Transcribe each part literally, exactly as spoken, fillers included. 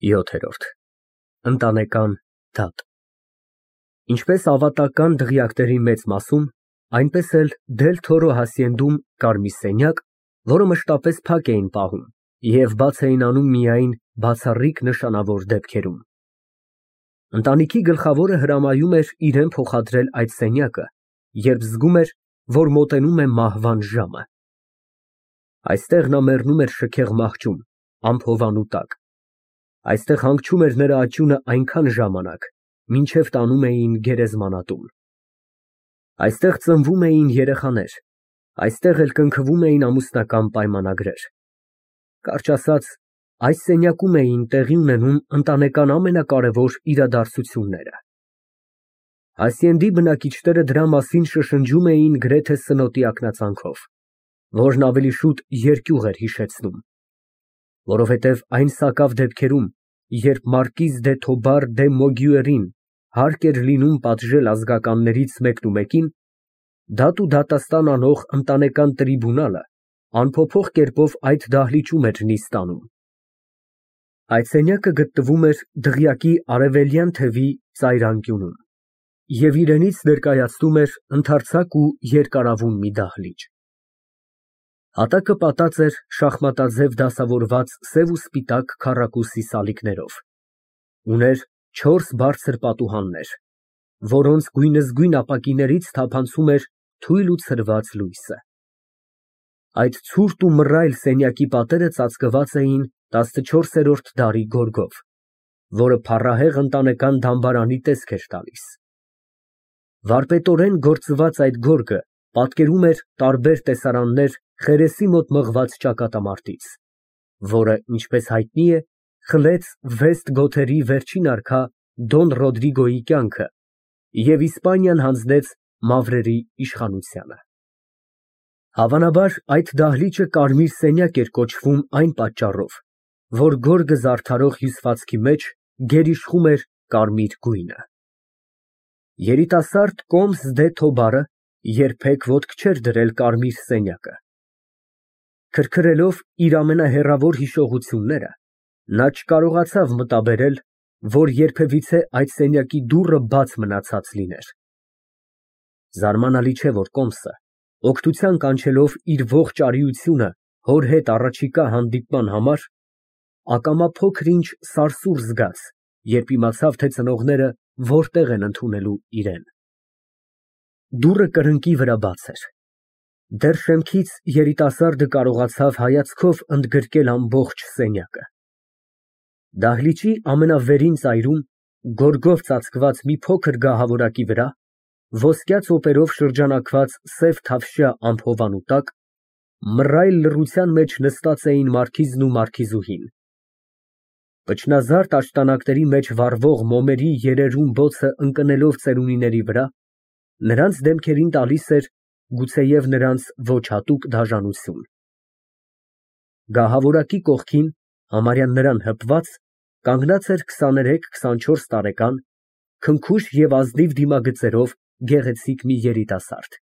ՅՈԹԵՐՈՐԴ ԸՆՏԱՆԵԿԱՆ ԴԱՏ Ինչպես ավատական դղյակների մեծ մասում, այնպես էլ Դել-Թորո հասցենդում կար մի սենյակ, որը մշտապես փակ էին պահում և բաց էին անում միայն բացառիկ նշանավոր դեպքերում։ Ընտանիքի գլխավորը հրամայում էր իրան փոխադրել այդ սենյակը, երբ զգում էր, որ մոտենում է մահվան ժամը։ Այստեղ նա մեռնում էր շքեղ մահճում, ամփովանու տակ։ Այստեղ հանգչում էր նրա աճյունը այնքան ժամանակ, մինչև տանում էին գերեզմանատուն։ Այստեղ ծնվում էին երեխաներ, այստեղ էլ կնքվում էին ամուսնական պայմանագրեր։ Կարճ ասած, այս սենյակում էին տեղի ունենում ընտանեկան ամենակարևոր իրադարձությունները։ Հասցենդի բնակիչները դրա մասին շշնջում էին գրեթե սնոտի ակնածանով, որն ավելի շուտ երկյուղ էր հիշեցնում, որովհետև այն սակավ դեպքերում, երբ մարկիզ դե Թոբար դե Մոգյուերին հարկ էր լինում պատժել ազգականներից մեկնումեկին, դատ ու դատաստան անող ընտանեկան տրիբունալը անփոփոխ կերպով այդ դահլիճում էր նիստ անում։ Այդ սենյակը գտնվում էր դղյակի արևելյան թևի ծայրանկյունում և իրենից ներկայացնում էր ընդարձակ ու երկարավուն մի դահլիճ։ Հատակը պատած էր շախմատաձև դասավորված սև ու սպիտակ քառակուսի սալիկներով, ուներ չորս բարձր պատուհաններ, որոնց գույնզգույն ապակիներից թափանցում էր թույլ ու ցրված լույսը։ Այդ ցուրտ ու մռայլ սենյակի պատերը ծածկված էին տասնչորսերորդ դարի գորգով, որը փառահեղ ընտանեկան դամբարանի տեսք էր տալիս։ Վարպետորեն գործված այդ գորգը պատկերում էր տարբեր տեսարաններ խերեսի մոտ մղված ճակատամարտից, որը, ինչպես հայտնի է, խլեց վեստ գոթերի վերջին արքա Դոն Ռոդրիգոյի կյանքը և Իսպանիան հանձնեց մավրերի իշխանությանը։ Հավանաբար, այդ դահլիճը կարմիր սենյակ էր կոչվում այն պատճառով, որ գորգը զարդարող հյուսվածքի մեջ գերիշխում էր կարմիր գույնը։ Երիտասարդ կոմս դե Թոբարը երբեք ոտք չէր դրել կարմիր սենյակը։ Քրքրելով իր ամենահեռավոր հիշողությունները, նա չկարողացավ մտաբերել, որ երբևիցե այդ սենյակի դուռը բաց մնացած լիներ։ Զարմանալի չէ, որ կոմսը, օգնության կանչելով իր ողջ արիությունը հոր հետ առաջիկա հանդիպման համար, ակամա փոքր֊ինչ սարսուռ զգաց, երբ իմացավ, թե ծնողները որտեղ են ընդունելու իրան։ Դուռը կրկնակի վրա բաց էր։ Դեռ շեմքից երիտասարդը կարողացավ հայացքով ընդգրկել ամբողջ սենյակը։ Դահլիճի ամենավերին ծայրում, գորգով ծածկված մի փոքր գահավորակի վրա, ոսկյա ծոպերով շրջանակված սև թավշյա ամփովանու տակ, մռայլ լռության մեջ նստած էին մարքիզն ու մարքիզուհին։ Փչնազարդ աշտանակների մեջ վառվող մոմերի երերուն բոցը ընկնելով ծերունիների վրա, նրանց դեմքերին տալիս էր գուցեև նրանց ոչ հատուկ դաժանություն։ Գահավորակի կողքին, համարյա նրան հպված, կանգնած էր քսաներեք֊քսանչորս տարեկան, քնքուշ և ազնիվ դիմագծերով գեղեցիկ մի երիտասարդ։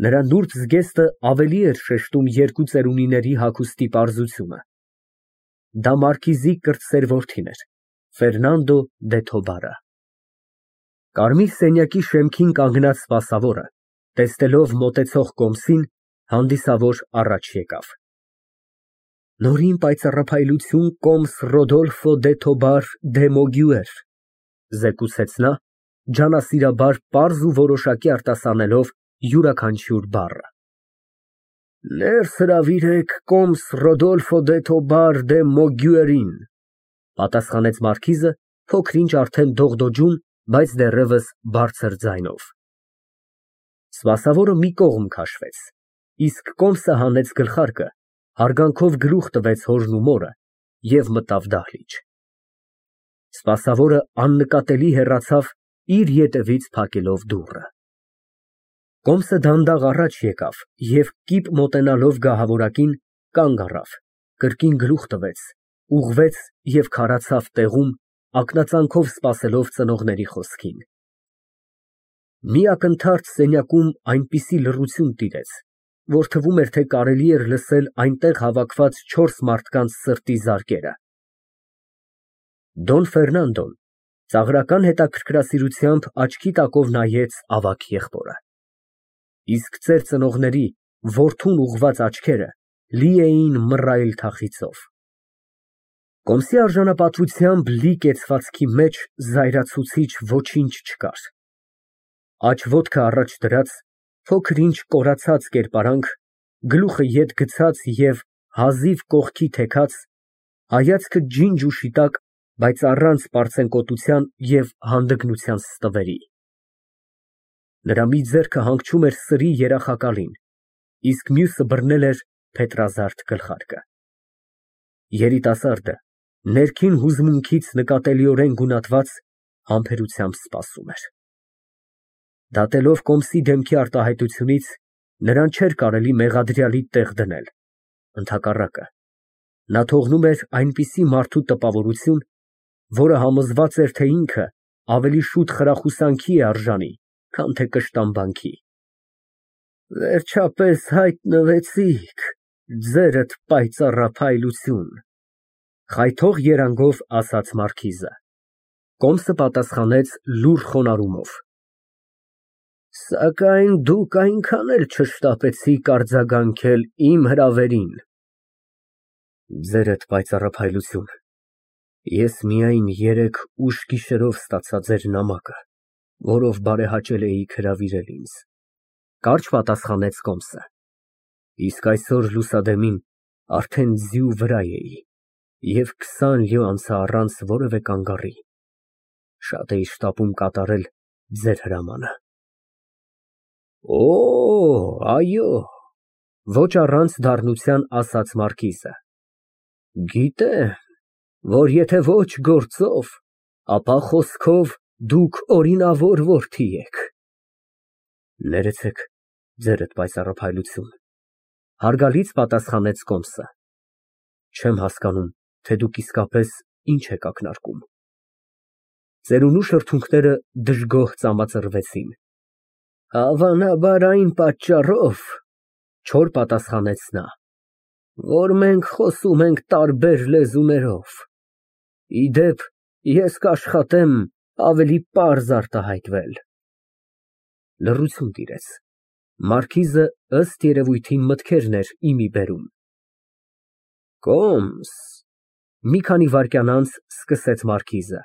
Նրա նուրբ զգեստը ավելի էր շեշտում երկու ծերունիների հագուստի պարզությունը։ Դա մարքիզի կրտսեր որդին էր, Ֆերնանդո դե Թոբարը։ Կարմիր սենյակի շեմքին կանգնած սպասավորը, տեսնելով մոտեցող կոմսին, հանդիսավոր առաջ եկավ։ Նորին պայծառափայլություն կոմս Ռոդոլֆո դե Թոբար դե Մոգյուեր, զեկուցեց նա, ջանասիրաբար պարզ ու որոշակի արտասանելով յուրաքանչյուր բառը։ Ներս հրավիրեք կոմս Ռոդոլֆո դե Թոբար դե Մոգյուերին, պատասխանեց մարքիզը, փոքր֊ինչ արդեն դողդոջուն, բայց դեռևս բարձր ձայնով։ Սպասավորը մի կողմ քաշվեց, իսկ կոմսը հանեց գլխարկը, հարգանքով գլուխ տվեց հորն ու մորը և մտավ դահլիճ։ Սպասավորը աննկատելի հեռացավ, իր ետևից փակելով դուռը։ Կոմսը դանդաղ առաջ եկավ և, կիպ մոտենալով գահավորակին, կանգ առավ, կրկին գլուխ տվեց, ուղղվեց և քարացավ տեղում, ակնածանքով սպասելով ծնողների խոսքին։ Մի ակնթարթ սենյակում այնպիսի լռություն տիրեց, որ թվում էր, թե կարելի էր լսել այնտեղ հավաքված չորս մարդկանց սրտի զարկերը։ Դոն Ֆերնանդոն ծաղրական հետաքրքրասիրությամբ աչքի տակով նայեց ավագ եղբորը, իսկ ծեր ծնողների որդուն ուղղված աչքերը լի էին մռայլ թախիծով։ Կոմսի արժանապատվությամբ լի կեցվածքի մեջ զայրացուցիչ ոչինչ չկար։ Աջ ոտքը առաջ դրած, փոքր ինչ կորացած կերպարանք, գլուխը ետ գցած և հազիվ կողքի թեքած, հայացքը ջինջ ու շիտակ, բայց առանց պարծենկոտության և հանդգնության ստվերի։ Նրա մի ձեռքը հանգչում էր սրի երախակալին, իսկ մյուսը բռնել էր փետրազարդ գլխարկը։ Երիտասարդը ներքին հուզմունքից նկատելիորեն գունատված համբերությամբ սպասում էր։ Դատելով Կոմսի դեմքի արտահայտությունից, նրան չէր կարելի մեղադրյալի տեղ դնել, ընդհակառակը, նա թողնում էր այնպիսի մարդու տպավորություն, որը համոզված էր, թե ինքը ավելի շուտ խրախուսանքի է արժանի, քան թե կշտամբանքի։ Վերջապես հայտնվեցիք, ձերդ պայծառափայլություն, խայթող երանգով ասաց մարքիզը։ Կոմսը պատասխանեց լուռ խոնարհումով. Սակայն դուք այնքան էլ չշտապեցիք արձագանքել իմ հրավերին։ Ձերդ պայծառափայլություն, ես միայն երեկ ուշ գիշերով ստացա ձեր նամակը, որով բարեհաճել էիք հրավիրել ինձ, կարճ պատասխանեց Կոմսը, իսկ այսօր լուսադեմին արդեն ձիու վրա էի և քսան լյո անցա առանց որևէ կանգառի, շատ էի շտապում կատարել ձեր հրամանը։ Օ, այո, ոչ առանց դառնության ասաց մարքիզը, գիտեմ, որ եթե ոչ գործով, ապա խոսքով դուք օրինավոր որդի եք։ Ներեցեք, ձերդ պայծառափայլություն, հարգալից պատասխանեց Կոմսը, չեմ հասկանում, թե դուք իսկապես ինչ եք ակնարկում։ Ծերունու շրթունքները դժգոհ ծամածրվեցին։ Հավանաբար այն պատճառով, չոր պատասխանեց նա, որ մենք խոսում ենք տարբեր լեզուներով, ի դեպ, ես կաշխատեմ ավելի պարզ արտահայտվել։ Լռություն տիրեց, մարքիզը ըստ երևույթին մտքերն էր ի մի բերում։ Կոմս, մի քանի վայրկյան անց սկսեց մարքիզը,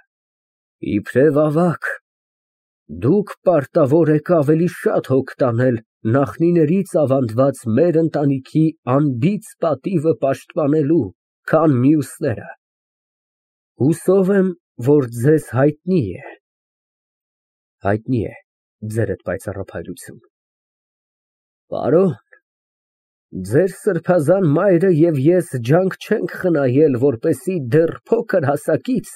իբրև ավագ, դուք պարտավոր եք ավելի շատ հոգ տանել նախնիներից ավանդված մեր ընտանիքի անբիծ պատիվը պաշտպանելու, քան մյուսները։ Հուսով եմ, որ ձեզ հայտնի է։ Հայտնի է, ձերդ պայծառափայլություն։ Պարոն, ձեր սրբազան մայրը և ես ջանք չենք խնայել, որպեսզի դեռ փոքր հասակից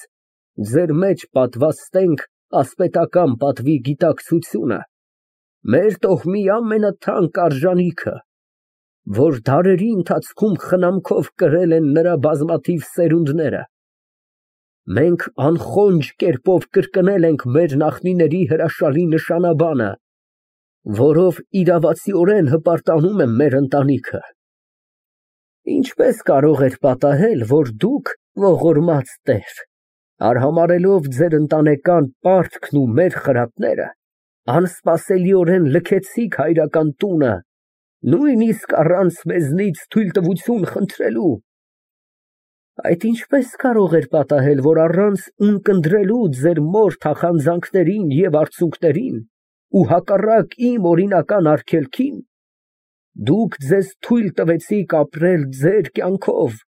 ձեր մեջ պատվաստենք ասպետական պատվի գիտակցությունը, մեր տոհմի ամենաթանկ արժանիքը, որ դարերի ընթացքում խնամքով կրել են նրա բազմաթիվ սերունդները։ Մենք անխոնջ կերպով կրկնել ենք մեր նախնիների հրաշալի նշանաբանը, որով իրավացիորեն հպարտանում է մեր ընտանիքը։ Ինչպես կարող էր պատահել, որ դուք, ողորմած տեր, արհամարհելով ձեր ընտանեկան պարտքն ու մեր խրատները, անսպասելիորեն լքեցիք հայրական տունը, նույնիսկ առանց մեզնից թույլտվություն խնդրելու։ Այդ ինչպես կարող էր պատահել, որ առանց ունկնդրելու ձեր մոր թախանձանքներին և արցունքներին ու հակառակ իմ օրինական արգելքին, դուք ձեզ թույլ տվեցիք ապրել ձեր կյանքով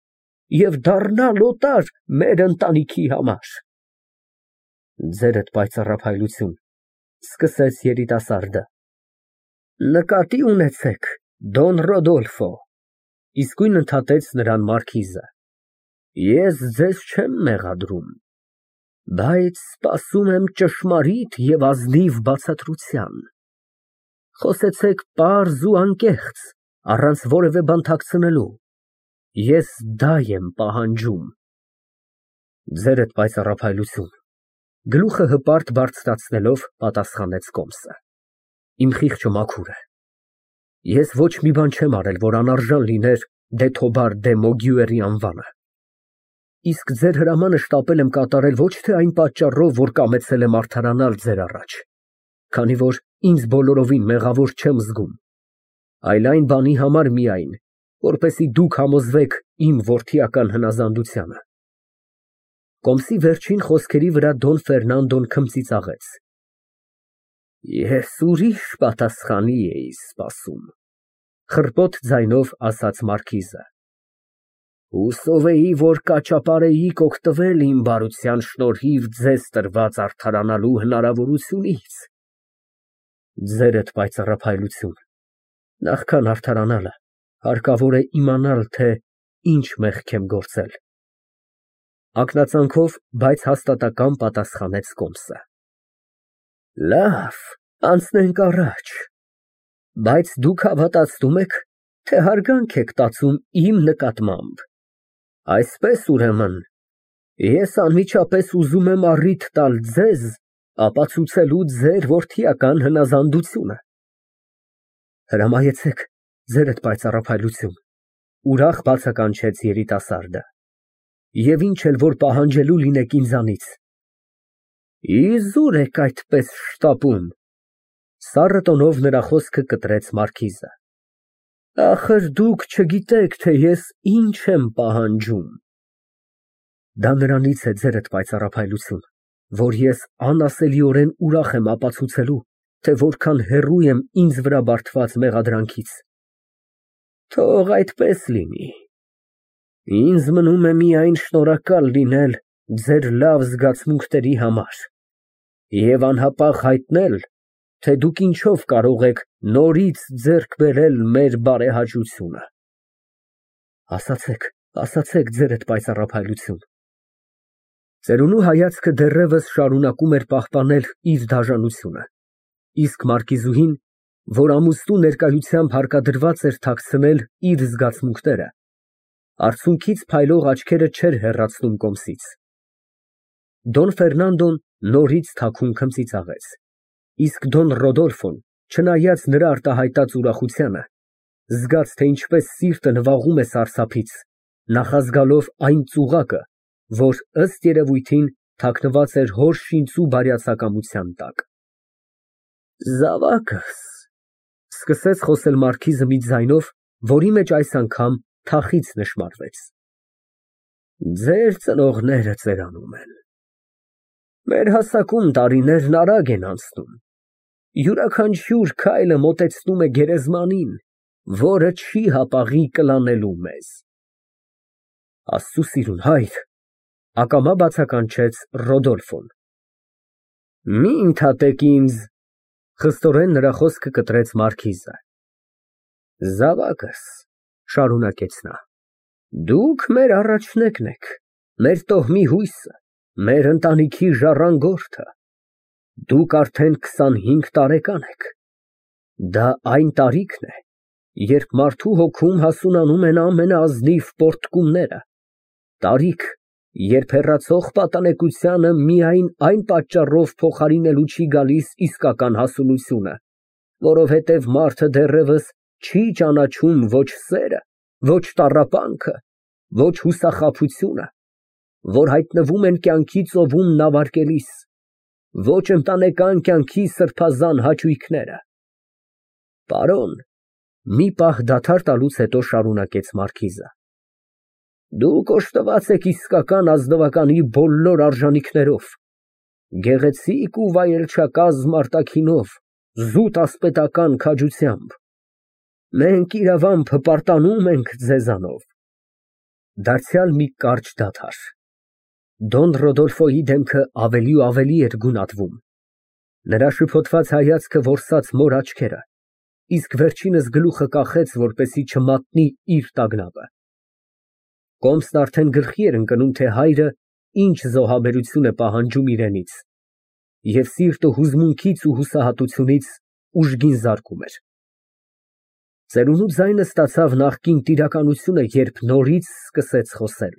և դառնալ օտար մեր ընտանիքի համար։ Ձերդ պայծառափայլություն, սկսեց երիտասարդը, նկատի ունեցեք, Դոն Ռոդոլֆո, իսկույն ընդհատեց նրան մարքիզը, ես ձեզ չեմ մեղադրում, բայց սպասում եմ ճշմարիտ և ազնիվ բացատրության։ Խոսեցեք պարզ ու անկեղծ, առանց որևէ բան թաքցնելու, ես դա եմ պահանջում։ Ձերդ պայծառափայլություն, գլուխը հպարտ բարձրացնելով պատասխանեց Կոմսը, իմ խիղճը մաքուր է, ես ոչ մի բան չեմ արել, որ անարժան լիներ դե Թոբար դե Մոգյուերի անվանը։ իսկ ձեր հրամանը շտապել եմ կատարել ոչ թե այն պատճառով, որ կամեցել եմ արդարանալ ձեր առաջ, քանի որ ինձ բոլորովին մեղավոր չեմ զգում, այլ այն բանի համար միայն, որպեսզի դուք համոզվեք իմ որդիական հնազանդությանը։ Կոմսի վերջին խոսքերի վրա Դոն Ֆերնանդոն քմծիծաղեց։ Ես ուրիշ պատասխանի էի սպասում, խռպոտ ձայնով ասաց մարքիզը։ Հուսով էի, որ կաճապարեիք օգտվել իմ բարության շնորհիվ ձեզ տրված արդարանալու հնարավորությունից։ Ձերդ պայծառափայլություն, նախքան արդարանալը, հարկավոր է իմանալ, թե ինչ մեղք եմ գործել։ Ակնածանքով, բայց հաստատակամ պատասխանեց Կոմսը։ Լավ, անցնենք առաջ, բայց դուք հավատացնում եք, թե հարգանք եք տածում իմ նկատմամբ։ Այսպես ուրեմն, ես անմիջապես ուզում եմ առիթ տալ ձեզ ապացուցելու ձեր որդիական հնազանդությունը։ Հրամայեցեք, ձերդ պայծառափայլություն, ուրախ բացականչեց երիտասարդը, և ինչ էլ որ պահանջելու լինեք ինձանից։ Իզուր եք այդպես շտապում, սառը տոնով նրա խոսքը կտրեց մարքիզը։ Ախր դուք չգիտեք, թե ես ինչ եմ պահանջում։ Դա նրանից է, ձերդ պայծառափայլություն, որ ես անասելիորեն ուրախ եմ ապացուցելու, թե որքան հեռու եմ ինձ վրա բարդված մեղադրանքից։ Թող այդպես լինի։ Ինձ մնում է միայն շնորհակալ լինել ձեր լավ զգացմունքների համար և անհապաղ հայտնել, թե դուք ինչով կարող եք նորից ձեռք բերել մեր բարեհաճությունը։ Ասացեք, ասացեք, ձերդ պայծառափայլություն։ Ծերունու հայացքը դեռևս շարունակում էր պահպանել իր դաժանությունը, իսկ մարկիզուհին, որ ամուսնու ներկայությամբ հարկադրված էր թաքցնել իր զգացմունքները, արցունքից փայլող աչքերը չէր հեռացնում Կոմսից։ Դոն Ֆերնանդոն նորից թաքուն քմծիծաղեց, իսկ Դոն Ռոդոլֆոն, չնայած նրա արտահայտած ուրախությանը, զգաց, թե ինչպես սիրտը նվաղում է սարսափից, նախազգալով այն ծուղակը, որ ըստ երևույթին թաքնված էր հոր շինծու բարյացակամության տակ։ Զավակս, սկսեց խոսել մարքիզը մի ձայնով, որի մեջ այս անգամ թախիծ նշմարվեց։ Ձեր ծնողները ծերանում են։ Մեր հասակում տարիներն արագ են անցնում։ Յուրաքանչյուր քայլը մոտեցնում է գերեզմանին, որը չի հապաղի կլանելու մեզ։ Աստծու սիրուն հայր, ակամա բացականչեց Ռոդոլֆոն։ Մի ընդհատեք ինձ, խստորեն նրա խոսքը կտրեց մարքիզը։ Զավակս, շարունակեց նա, դուք մեր առաջնեկն եք, մեր տոհմի հույսը, մեր ընտանիքի ժառանգորդը։ Դուք արդեն քսանհինգ տարեկան եք։ Դա այն տարիքն է, երբ մարդու հոգում հասունանում են ամենաազնիվ պոռթկումները, տարիք, երբ հեռացող պատանեկությանը միայն այն պատճառով փոխարինելու չի գալիս իսկական հասունությունը, որովհետև մարդը դեռևս չի ճանաչում ոչ սերը, ոչ տառապանքը, ոչ հուսախաբությունը, որ հայտնվում են կյանքի ծովում նավարկելիս, ոչ ընտանեկան կյանքի սրբազան հաճույքները։ Պարոն, մի պահ դադար տալուց հետո շարունակեց մարքիզը։ Դուք օժտված եք իսկական ազնվականի բոլոր արժանիքներով, գեղեցիկ ու վայելչակազմ արտաքինով, զուտ ասպետական քաջությամբ։ Մենք իրավամբ հպարտանում ենք ձեզանով։ Դարձյալ մի կարճ դադար։ Դոն Ռոդոլֆոյի դեմքը ավելի ու ավելի էր գունատվում, նրա շփոթված հայացքը որսաց մոր աչքերը, իսկ վերջինս գլուխը կախեց, որպեսզի չմատնի իր տագնապը։ Կոմսն արդեն գլխի էր ընկնում, թե հայրը ինչ զոհաբերություն է պահանջում իրենից, և սիրտը հուզմունքից ու հուսահատությունից ուժգին զարկում էր։ Ծերունու ձայնը ստացավ նախկին տիրականությունը, երբ նորից սկսեց խոսել։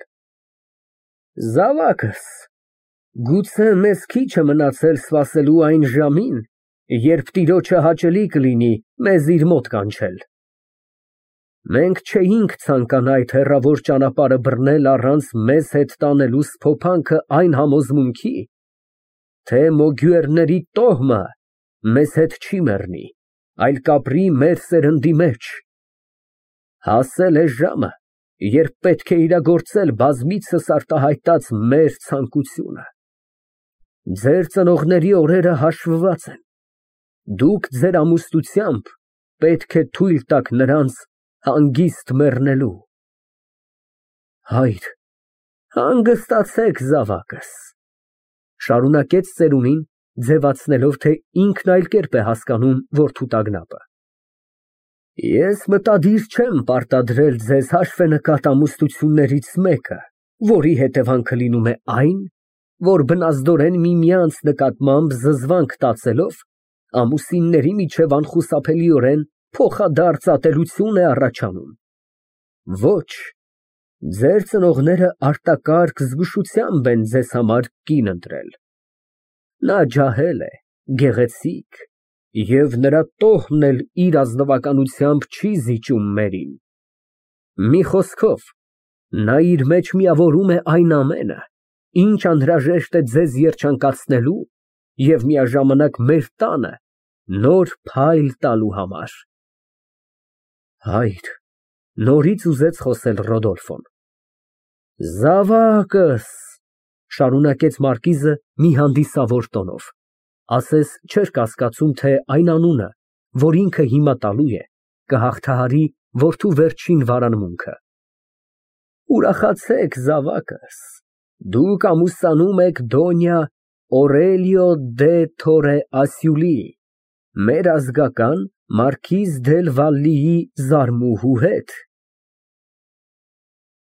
Զավակս, գուցե մեզ քիչ է մնացել սպասելու այն ժամին, երբ տիրոջը հաճելի կլինի մեզ իր մոտ կանչել։ Մենք չէինք ցանկանա այդ հեռավոր ճանապարհը բռնել առանց մեզ հետ տանելու սփոփանքը այն համոզմունքի, թե մոգյուերների տոհմը մեզ հետ չի մեռնի, այլ կապրի մեր սերնդի մեջ։ Հասել է ժամը, երբ պետք է իրագործել բազմիցս արտահայտած մեր ցանկությունը։ Ձեր ծնողների օրերը հաշվված են, դուք ձեր ամուսնությամբ պետք է թույլ տաք նրանց հանգիստ մեռնելու։ Հայր, հանգստացեք զավակս, շարունակեց ծերունին, ձևացնելով, թե ինքն այլ կերպ է հասկանում որդու տագնապը։ Ես մտադիր չեմ պարտադրել ձեզ հաշվենկատ ամուսնություններից մեկը, որի հետևանքը լինում է այն, որ բնազդորեն միմյանց նկատմամբ զզվանք տածելով, ամուսինների միջև անխուսափելիորեն փոխադարձ ատելություն է առաջանում։ Ոչ, ձեր ծնողները արտակարգ զգուշությամբ են ձեզ համար կին ընտրել։ Նա ջահել է, գեղեցիկ, և նրա տոհմն էլ իր ազնվականությամբ չի զիջում մերին։ Մի խոսքով, նա իր մեջ միավորում է այն ամենը, ինչ անհրաժեշտ է ձեզ երջանկացնելու և միաժամանակ մեր տանը նոր փայլ տալու համար։ Հայր, նորից ուզեց խոսել Ռոդոլֆոն։ Զավակս, շարունակեց մարկիզը մի հանդիսավոր տոնով, ասես չէր կասկածում, թե այն անունը, որ ինքը հիմա տալու է, կհաղթահարի որդու վերջին վարանմունքը։ Ուրախացեք, զավակս, դուք ամուսնանում եք Դոնյա Օրելիո դե Թորե Ասյուլիի, մեր ազգական մարքիզ դել Վալլիի զարմուհու հետ։